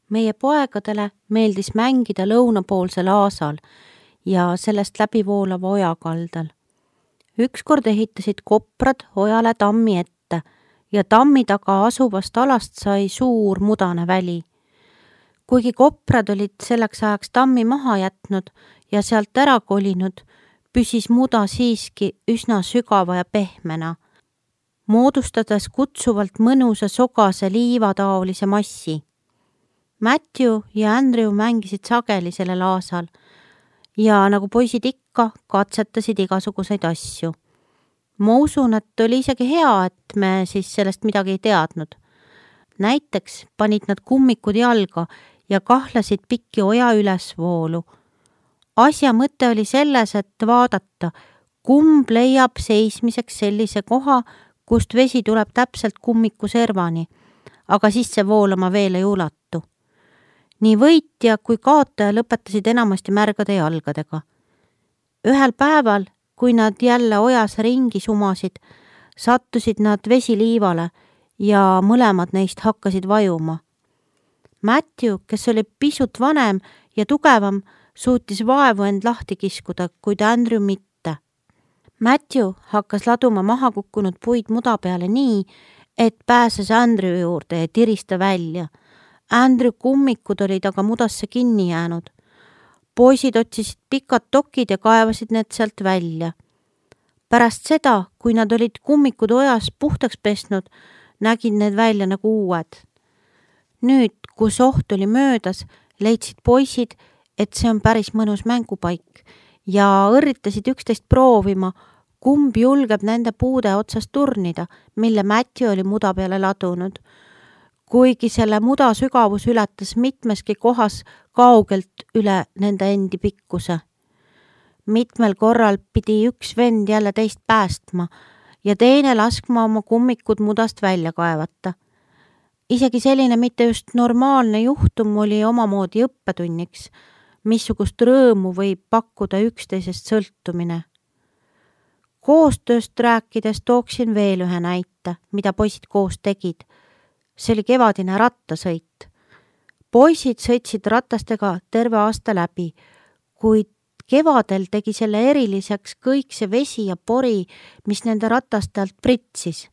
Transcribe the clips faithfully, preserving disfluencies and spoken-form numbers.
Meie poegadele meeldis mängida lõunapoolsel aasal ja sellest läbivoolava oja kaldal. Ükskord ehitasid koprad ojale tammi ette ja tammi taga asuvast alast sai suur mudane väli. Kuigi koprad olid selleks ajaks tammi maha jätnud ja sealt ära kolinud, püsis muda siiski üsna sügava ja pehmena, moodustades kutsuvalt mõnusa sogase liivataolise massi. Matthew ja Andrew mängisid sageli sellel aasal ja nagu poisid ikka, katsetasid igasuguseid asju. Ma usun, et oli isegi hea, et me siis sellest midagi ei teadnud. Näiteks panid nad kummikud jalga ja kahlasid pikki oja ülesvoolu. Asja mõte oli selles, et vaadata, kumb leiab seismiseks sellise koha, kust vesi tuleb täpselt kummiku servani, aga sisse voolama veel ei ulatu. Nii võitja kui kaotaja lõpetasid enamasti märgade jalgadega. Ühel päeval, kui nad jälle ojas ringi sumasid, sattusid nad vesiliivale ja mõlemad neist hakkasid vajuma. Matthew, kes oli pisut vanem ja tugevam, suutis vaevu end lahti kiskuda, kuid Andrew mitte. Matthew hakkas laduma maha kukkunud puid muda peale nii, et pääses Andrew juurde ja tirista välja. Andrew kummikud olid aga mudasse kinni jäänud. Poisid otsisid pikad tokid ja kaevasid need sealt välja. Pärast seda, kui nad olid kummikud ojas puhtaks pesnud, nägid need välja nagu uued. Nüüd, kus oht oli möödas, leidsid poisid, et see on päris mõnus mängupaik ja õrritasid üksteist proovima, kumb julgeb nende puude otsast turnida, mille Matthew oli muda peale ladunud. Kuigi selle muda sügavus ületas mitmeski kohas kaugelt üle nende endi pikkuse. Mitmel korral pidi üks vend jälle teist päästma ja teine laskma oma kummikud mudast välja kaevata. Isegi selline mitte just normaalne juhtum oli omamoodi õppetunniks, missugust rõõmu võib pakkuda üksteisest sõltumine. Koostööst rääkides tooksin veel ühe näite, mida poisid koos tegid. See oli kevadine rattasõit. Poisid sõitsid ratastega terve aasta läbi, kuid kevadel tegi selle eriliseks kõik see vesi ja pori, mis nende rataste alt pritsis.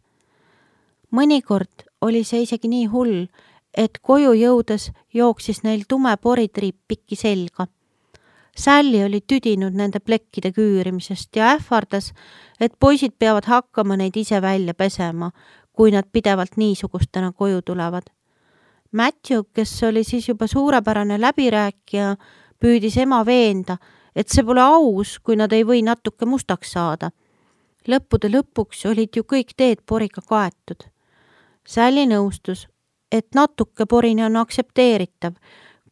Mõnikord oli see isegi nii hull, et koju jõudes jooksis neil tume poritriip pikki selga. Sally oli tüdinud nende plekkide küürimisest ja ähvardas, et poisid peavad hakkama neid ise välja pesema, kui nad pidevalt niisugustena koju tulevad. Matthew, kes oli siis juba suurepärane läbirääkija, püüdis ema veenda, et see pole aus, kui nad ei või natuke mustaks saada. Lõppude lõpuks olid ju kõik teed poriga kaetud. Sally nõustus, et natuke porini on aktsepteeritav,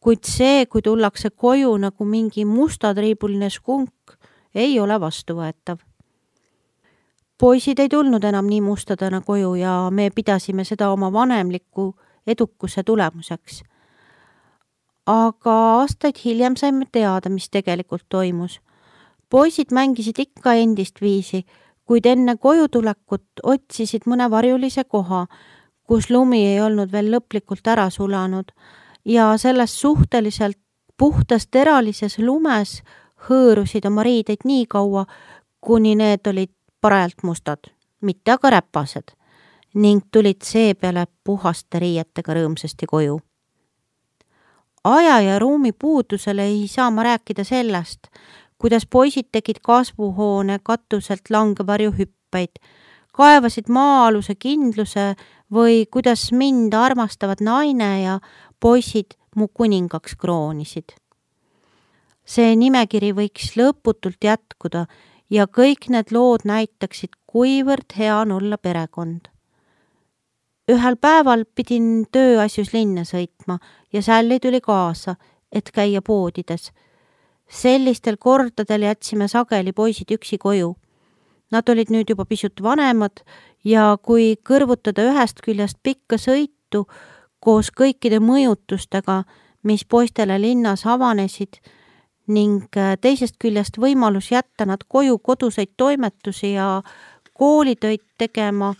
kuid see, kui tullakse koju nagu mingi mustatriibuline skunk, ei ole vastuvõetav. Poisid ei tulnud enam nii mustadena koju ja me pidasime seda oma vanemliku edukuse tulemuseks. Aga aastaid hiljem saime teada, mis tegelikult toimus. Poisid mängisid ikka endist viisi, kuid enne koju tulekut otsisid mõne varjulise koha, kus lumi ei olnud veel lõplikult ära sulanud ja selles suhteliselt puhtas teralises lumes hõõrusid oma riideid nii kaua, kuni need olid parajalt mustad, mitte aga räpased, ning tulid seepeale puhaste riietega rõõmsasti koju. Aja ja ruumi puudusel ei saa ma rääkida sellest, kuidas poisid tegid kasvuhoone katuselt langevarju hüppeid, kaevasid maa-aluse kindluse või kuidas mind armastavad naine ja poisid mu kuningaks kroonisid. See nimekiri võiks lõputult jätkuda ja kõik need lood näitaksid, kuivõrd hea on olla perekond. Ühel päeval pidin tööasjus linna sõitma ja Sally tuli kaasa, et käia poodides. Sellistel kordadel jätsime sageli poisid üksi koju. Nad olid nüüd juba pisut vanemad ja kui kõrvutada ühest küljest pikka sõitu koos kõikide mõjutustega, mis poistele linnas avanesid, ning teisest küljest võimalus jätta nad koju koduseid toimetusi ja koolitöid tegema,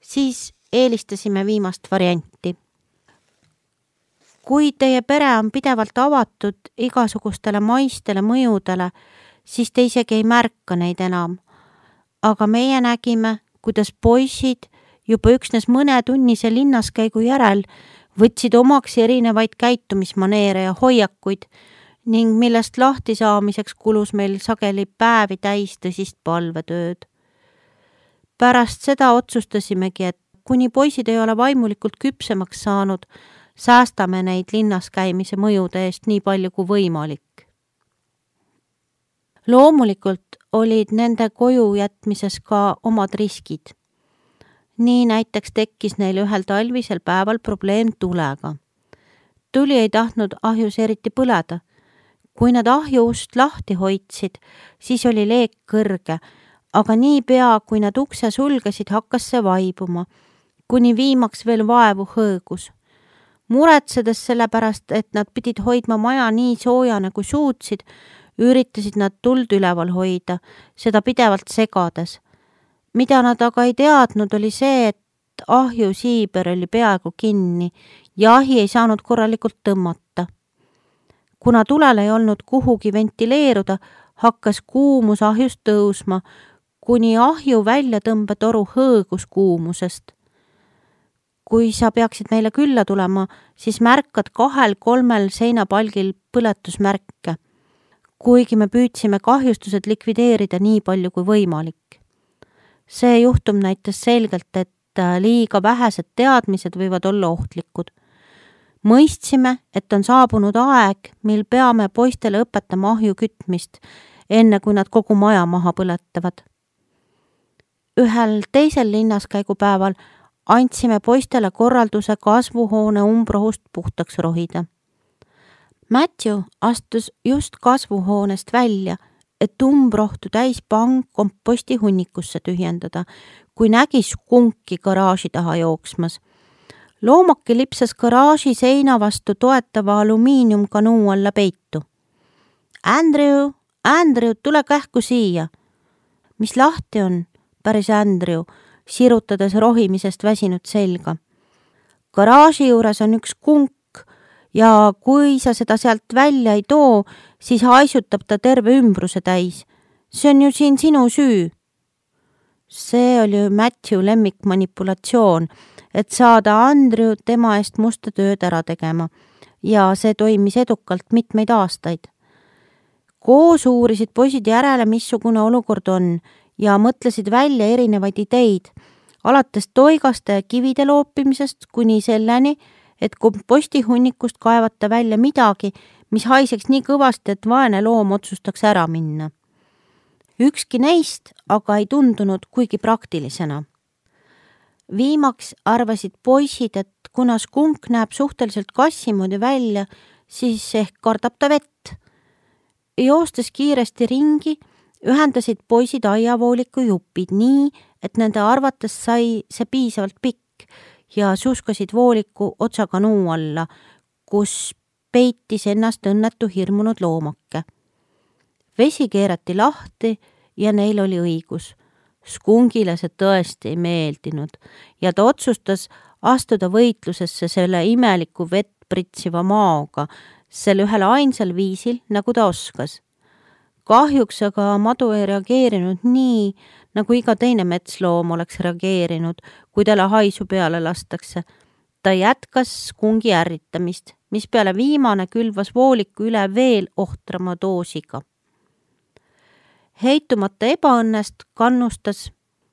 siis eelistasime viimast varianti. kui teie pere on pidevalt avatud igasugustele maistele mõjudele, siis te isegi ei märka neid enam. Aga meie nägime, kuidas poisid juba üksnes mõne tunnise linnaskäigu järel võtsid omaks erinevaid käitumismaneere ja hoiakuid ning millest lahti saamiseks kulus meil sageli päevi täis tõsist palvetööd. Pärast seda otsustasimegi, et kuni poisid ei ole vaimulikult küpsemaks saanud, säästame neid linnas käimise mõjude eest nii palju kui võimalik. Loomulikult olid nende koju jätmises ka omad riskid. Nii näiteks tekkis neil ühel talvisel päeval probleem tulega. Tuli ei tahtnud ahjus eriti põleda. Kui nad ahjuust lahti hoidsid, siis oli leek kõrge, aga nii pea, kui nad ukse sulgesid, hakkas see vaibuma, kuni viimaks veel vaevu hõõgus. Muretsedes selle pärast, et nad pidid hoidma maja nii soojana kui suutsid, üritasid nad tuld üleval hoida, seda pidevalt segades. Mida nad aga ei teadnud, oli see, et ahju siiber oli peaaegu kinni ja ahi ei saanud korralikult tõmmata. Kuna tulel ei olnud kuhugi ventileeruda, hakkas kuumus ahjust tõusma, kuni ahju väljatõmbetoru hõõgus kuumusest. Kui sa peaksid meile külla tulema, siis märkad kahel-kolmel seinapalgil põletusmärke, kuigi me püüdsime kahjustused likvideerida nii palju kui võimalik. See juhtum näitas selgelt, et liiga vähesed teadmised võivad olla ohtlikud. Mõistsime, et on saabunud aeg, mil peame poistele õpetama ahju kütmist, enne kui nad kogu maja maha põletavad. Ühel teisel linnaskäigupäeval andsime poistele korralduse kasvuhoone umbrohust puhtaks rohida. Matthew astus just kasvuhoonest välja, et umbrohtu täis pang komposti hunnikusse tühjendada, kui nägi skunki garaaži taha jooksmas. Loomake lipsas garaaži seina vastu toetava alumiiniumkanuu alla peitu. Andrew, Andrew, tule kähku siia. Mis lahti on? Päris Andrew, sirutades rohimisest väsinud selga. Garaaži juures on üks skunk ja kui sa seda sealt välja ei too, siis haisutab ta terve ümbruse täis. See on ju siin sinu süü. See oli ju Matthew lemmikmanipulatsioon, et saada Andrew tema eest musta tööd ära tegema ja see toimis edukalt mitmeid aastaid. Koos uurisid poisid järele, missugune olukord on ja mõtlesid välja erinevaid ideid, alates toigaste ja kivide loopimisest kuni selleni, et kompostihunnikust kaevata välja midagi, mis haiseks nii kõvasti, et vaene loom otsustaks ära minna. Ükski neist aga ei tundunud kuigi praktilisena. Viimaks arvasid poisid, et kuna skunk näeb suhteliselt kassimoodi välja, siis ehk kardab ta vett. Joostes kiiresti ringi, ühendasid poisid aiavooliku jupid nii, et nende arvates sai see piisavalt pikk ja suskasid vooliku otsaga nuu alla, kus peitis ennast õnnetu hirmunud loomake. Vesi keerati lahti ja neil oli õigus. Skungile see tõesti ei meeldinud ja ta otsustas astuda võitlusesse selle imeliku vett pritsiva maoga, selle ühel ainsal viisil, nagu ta oskas. Kahjuks aga madu ei reageerinud nii, nagu iga teine metsloom oleks reageerinud, kui talle haisu peale lastakse. Ta jätkas skungi ärritamist, mis peale viimane külvas vooliku üle veel ohtrama doosiga. Heitumata ebaõnnest kannustas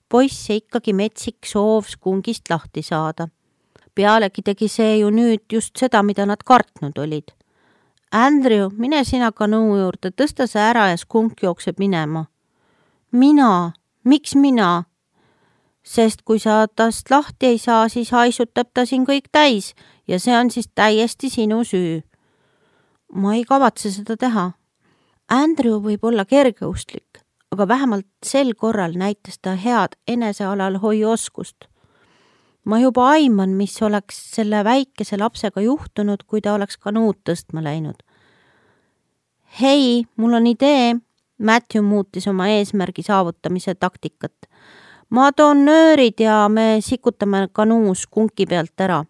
poisse ikkagi metsik soov skungist lahti saada. Pealegi tegi see ju nüüd just seda, mida nad kartnud olid. Andrew, mine sina kanuu juurde, tõsta see ära ja skunk jookseb minema. Mina? Miks mina? Sest kui sa tast lahti ei saa, siis haisutab ta siin kõik täis ja see on siis täiesti sinu süü. Ma ei kavatse seda teha. Andrew võib olla kergeustlik, aga vähemalt sel korral näitas ta head enesealal hoiuoskust. Ma juba aiman, mis oleks selle väikese lapsega juhtunud, kui ta oleks kanuud tõstma läinud. Hei, mul on idee, Matthew muutis oma eesmärgi saavutamise taktikat. Ma toon nöörid ja me sikutame kanuu skunki pealt ära.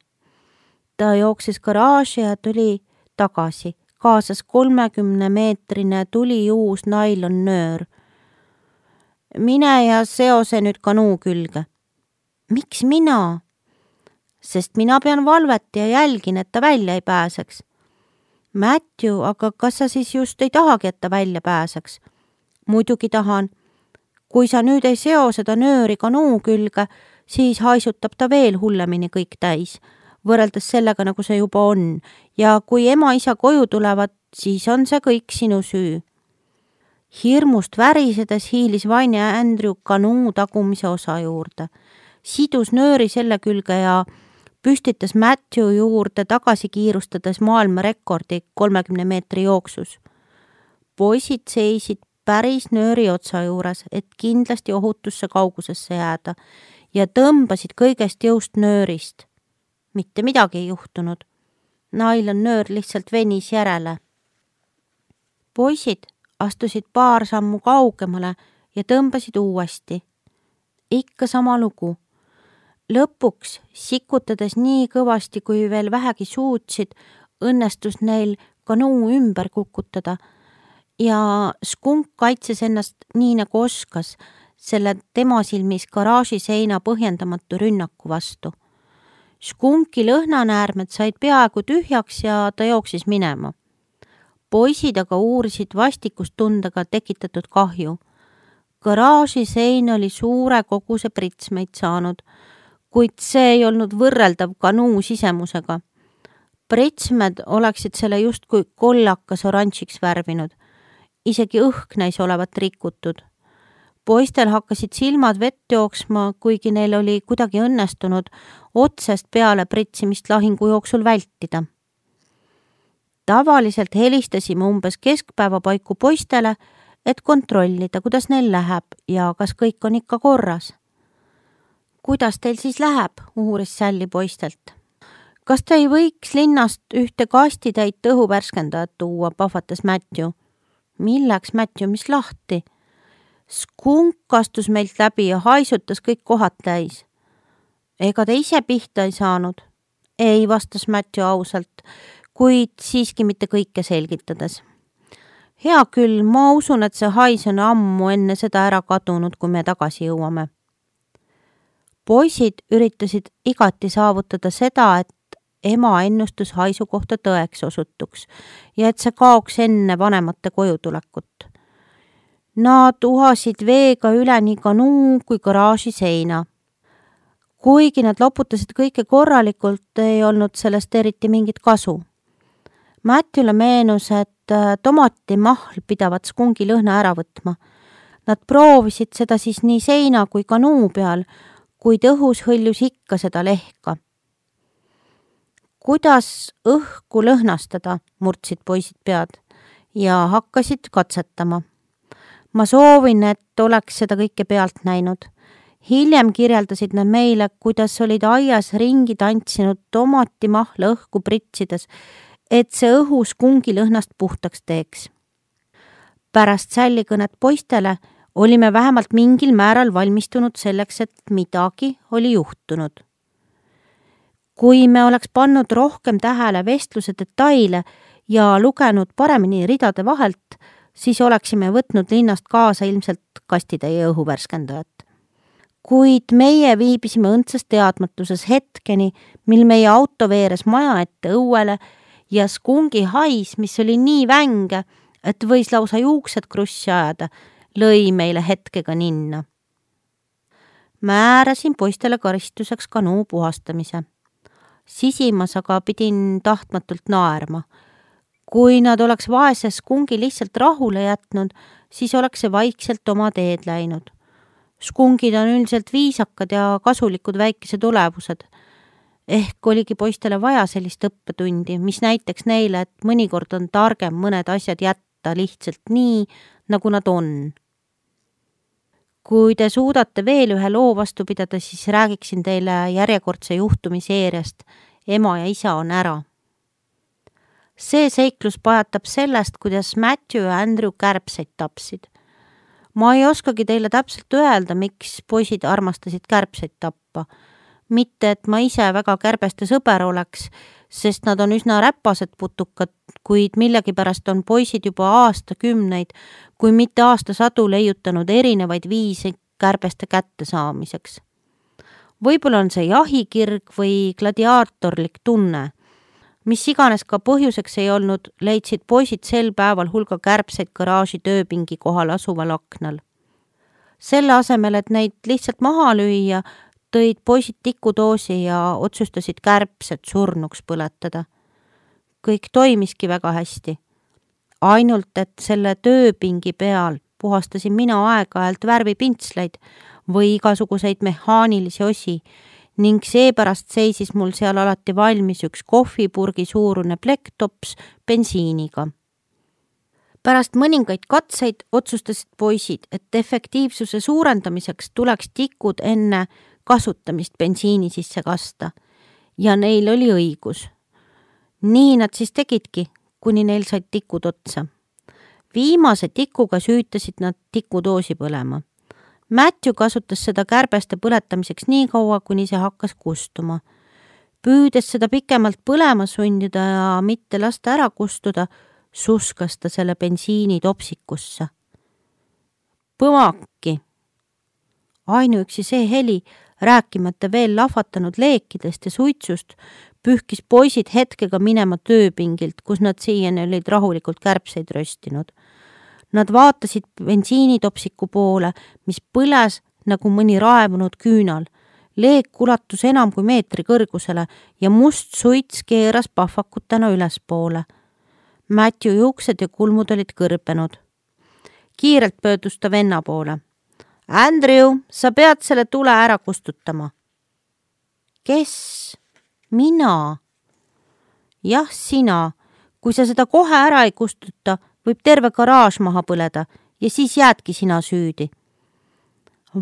ta jooksis garaaži ja tuli tagasi, kaasas kolmekümne meetrine tuliuus nailonnöör. Mine ja seose nüüd kanuu külge. Miks mina? Sest mina pean valvet ja jälgin, et ta välja ei pääseks. Matthew, aga kas sa siis just ei tahagi, et ta välja pääseks? Muidugi tahan. Kui sa nüüd ei seo seda nööri kanuu külge, siis haisutab ta veel hullemini kõik täis, võrreldes sellega, nagu see juba on. Ja kui ema-isa koju tulevad, siis on see kõik sinu süü. Hirmust värisedes hiilis Vaine Andrew kanuu tagumise osa juurde. Sidus nööri selle külge ja püstitas Matthew juurde tagasi kiirustades maailma rekordi kolmekümne meetri jooksus. Poisid seisid päris nööri otsa juures, et kindlasti ohutusse kaugusesse jääda ja tõmbasid kõigest jõust nöörist. Mitte midagi ei juhtunud. Nailon nöör lihtsalt venis järele. Poisid astusid paar sammu kaugemale ja tõmbasid uuesti. Ikka sama lugu. Lõpuks, sikutades nii kõvasti, kui veel vähegi suutsid, õnnestus neil kanuu ümber kukutada ja skunk kaitses ennast nii nagu oskas selle tema silmis garaaži seina põhjendamatu rünnaku vastu. Skunki lõhnanäärmed said peaaegu tühjaks ja ta jooksis minema. Poisid aga uurisid vastikustundega tekitatud kahju. Garaaži sein oli suure koguse pritsmeid saanud, kuid see ei olnud võrreldav kanuu sisemusega. Pritsmed oleksid selle justkui kollakas oranžiks värvinud. Isegi õhk näis olevat rikutud. Poistel hakkasid silmad vett jooksma, kuigi neil oli kuidagi õnnestunud otsest peale pritsimist lahingu jooksul vältida. Tavaliselt helistasime umbes keskpäeva paiku poistele, et kontrollida, kuidas neil läheb ja kas kõik on ikka korras. Kuidas teil siis läheb, uuris Sally poistelt. Kas te ei võiks linnast ühte kastitäit õhuvärskendajat tuua, pahvatas Matthew. Milleks, Matthew, mis lahti? Skunk astus meilt läbi ja haisutas kõik kohad täis. Ega te ise pihta ei saanud? Ei, vastas Matthew ausalt, kuid siiski mitte kõike selgitades. Hea küll, ma usun, et see hais on ammu enne seda ära kadunud, kui me tagasi jõuame. Poisid üritasid igati saavutada seda, et ema ennustus haisu kohta tõeks osutuks ja et see kaoks enne vanemate koju tulekut. Nad uhasid veega üle nii kanuu kui garaaži seina. Kuigi nad loputasid kõike korralikult, ei olnud sellest eriti mingit kasu. Matthewle meenus, et tomatimahl pidavat skungi lõhna ära võtma. Nad proovisid seda siis nii seina kui kanuu peal, kuid õhus hõljus ikka seda lehka. Kuidas õhku lõhnastada, murdsid poisid pead ja hakkasid katsetama. Ma soovin, et oleks seda kõike pealt näinud. Hiljem kirjeldasid nad meile, kuidas olid aias ringi tantsinud tomatimahla õhku pritsides, et see õhu skungi lõhnast puhtaks teeks. Pärast Sally kõnet poistele olime vähemalt mingil määral valmistunud selleks, et midagi oli juhtunud. Kui me oleks pannud rohkem tähele vestluse detaile ja lugenud paremini ridade vahelt, siis oleksime võtnud linnast kaasa ilmselt kastitäie õhuvärskendajat. Kuid meie viibisime õndsas teadmatuses hetkeni, mil meie auto veeres maja ette õuele ja skungi hais, mis oli nii vänge, et võis lausa juuksed krussi ajada, lõi meile hetkega ninna. Määrasin poistele karistuseks kanuu puhastamise. Sisimas aga pidin tahtmatult naerma. Kui nad oleks vaese skungi lihtsalt rahule jätnud, siis oleks see vaikselt oma teed läinud. Skungid on üldiselt viisakad ja kasulikud väikesed olevused. Ehk oligi poistele vaja sellist õppetundi, mis näiteks neile, et mõnikord on targem mõned asjad jätta lihtsalt nii, nagu nad on. Kui te suudate veel ühe loo vastu pidada, siis räägiksin teile järjekordse juhtumiseeriast. Ema ja isa on ära. See seiklus pajatab sellest, kuidas Matthew ja Andrew kärbseid tapsid. Ma ei oskagi teile täpselt öelda, miks poisid armastasid kärbseid tappa. Mitte, et ma ise väga kärbeste sõber oleks, sest nad on üsna räpased putukad, kuid millegipärast on poisid juba aastakümneid, kui mitte aastasadu leiutanud erinevaid viise kärbeste kätte saamiseks. Võib-olla on see jahikirg või gladiaatorlik tunne. Mis iganes ka põhjuseks ei olnud, leidsid poisid sel päeval hulga kärbseid garaaži tööpingi kohal asuval aknal. Selle asemel, et neid lihtsalt maha lüüa, tõid poisid tikudoosi ja otsustasid kärbsed surnuks põletada. Kõik toimiski väga hästi. Ainult, et selle tööpingi peal puhastasin mina aeg-ajalt värvipintsleid või igasuguseid mehaanilisi osi ning seepärast seisis mul seal alati valmis üks kohvipurgi suurune plektops bensiiniga. Pärast mõningaid katseid otsustasid poisid, et efektiivsuse suurendamiseks tuleks tikud enne kasutamist bensiini sisse kasta ja neil oli õigus. Nii nad siis tegidki, kuni neil said tikud otsa. Viimase tikuga süütasid nad tikudoosi põlema. Matthew kasutas seda kärbeste põletamiseks nii kaua, kuni see hakkas kustuma. Püüdes seda pikemalt põlema sundida ja mitte lasta ära kustuda, suskas ta selle bensiini topsikusse. Põmaki! Ainuüksi see heli, rääkimata veel lahvatanud leekidest ja suitsust, pühkis poisid hetkega minema tööpingilt, kus nad siiani olid rahulikult kärbseid röstinud. Nad vaatasid bensiinitopsiku poole, mis põles nagu mõni raevunud küünal. Leek ulatus enam kui meetri kõrgusele ja must suits keeras pahvakutena ülespoole. Matthew juuksed ja kulmud olid kõrbenud. Kiirelt pöördus ta venna poole. Andrew, sa pead selle tule ära kustutama. Kes? Mina? Jah, sina. Kui sa seda kohe ära ei kustuta, võib terve garaaž maha põleda ja siis jäädki sina süüdi.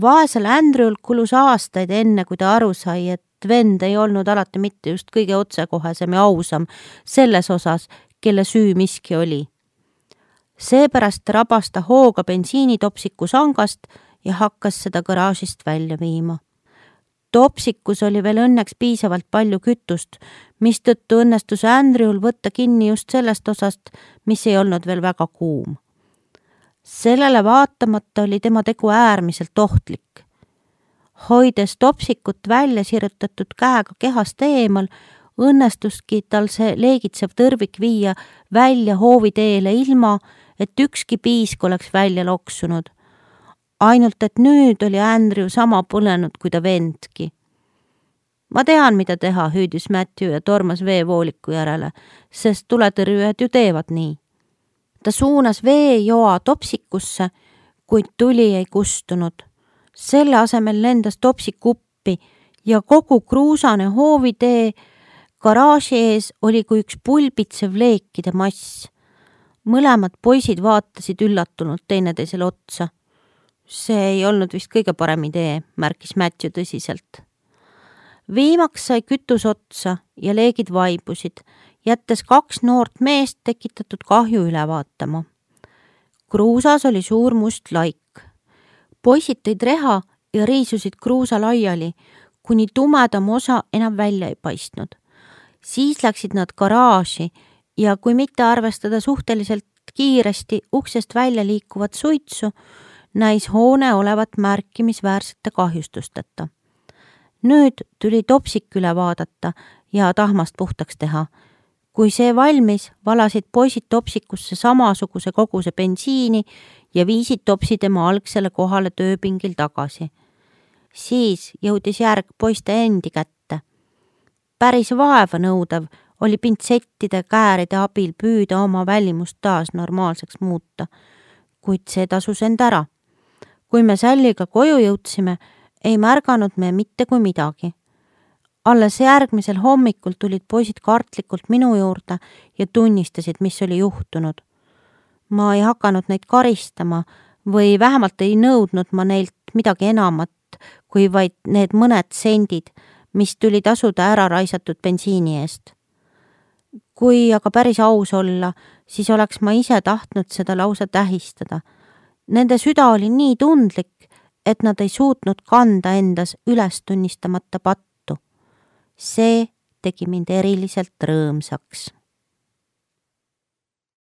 Vaesel Andrew'l kulus aastaid enne, kui ta aru sai, et vend ei olnud alati mitte just kõige otsekohesem ja ausam selles osas, kelle süü miski oli. Seepärast rabas ta hooga bensiinitopsiku sangast ja hakkas seda garaažist välja viima. Topsikus oli veel õnneks piisavalt palju kütust, mis tõttu õnnestus Andrew'l võtta kinni just sellest osast, mis ei olnud veel väga kuum. Sellele vaatamata oli tema tegu äärmiselt ohtlik. Hoides topsikut välja sirutatud käega kehast eemal, õnnestuski tal see leegitsev tõrvik viia välja hooviteele ilma, et ükski piisk oleks välja loksunud. Ainult, et nüüd oli Andrew sama põlenud kui ta vendki. Ma tean, mida teha, hüüdis Matthew ja tormas veevooliku järele, sest tuletõrjujad ju teevad nii. Ta suunas veejoa topsikusse, kuid tuli ei kustunud. Selle asemel lendas topsik uppi ja kogu kruusane hoovitee garaaži ees oli kui üks pulbitsev leekide mass. Mõlemad poisid vaatasid üllatunult teineteisele otsa. See ei olnud vist kõige parem idee, märkis Matthew tõsiselt. Viimaks sai kütus otsa ja leegid vaibusid, jättes kaks noort meest tekitatud kahju üle vaatama. Kruusas oli suur must laik. Poisid tõid reha ja riisusid kruusa laiali, kuni tumedam osa enam välja ei paistnud. Siis läksid nad garaaži ja kui mitte arvestada suhteliselt kiiresti uksest välja liikuvat suitsu, näis hoone olevat märkimisväärsete kahjustusteta. Nüüd tuli topsik üle vaadata ja tahmast puhtaks teha. Kui see valmis, valasid poisid topsikusse samasuguse koguse bensiini ja viisid topsi tema algsele kohale tööpingil tagasi. Siis jõudis järg poiste endi kätte. Päris vaeva nõudev oli pintsettide kääride abil püüda oma välimust taas normaalseks muuta, kuid see tasus end ära. Kui me Salliga koju jõudsime, ei märganud me mitte kui midagi. Alles järgmisel hommikul tulid poisid kartlikult minu juurde ja tunnistasid, mis oli juhtunud. Ma ei hakanud neid karistama või vähemalt ei nõudnud ma neilt midagi enamat, kui vaid need mõned sendid, mis tuli tasuda ära raisatud bensiini eest. Kui aga päris aus olla, siis oleks ma ise tahtnud seda lausa tähistada. Nende süda oli nii tundlik, et nad ei suutnud kanda endas üles tunnistamata pattu. See tegi mind eriliselt rõõmsaks.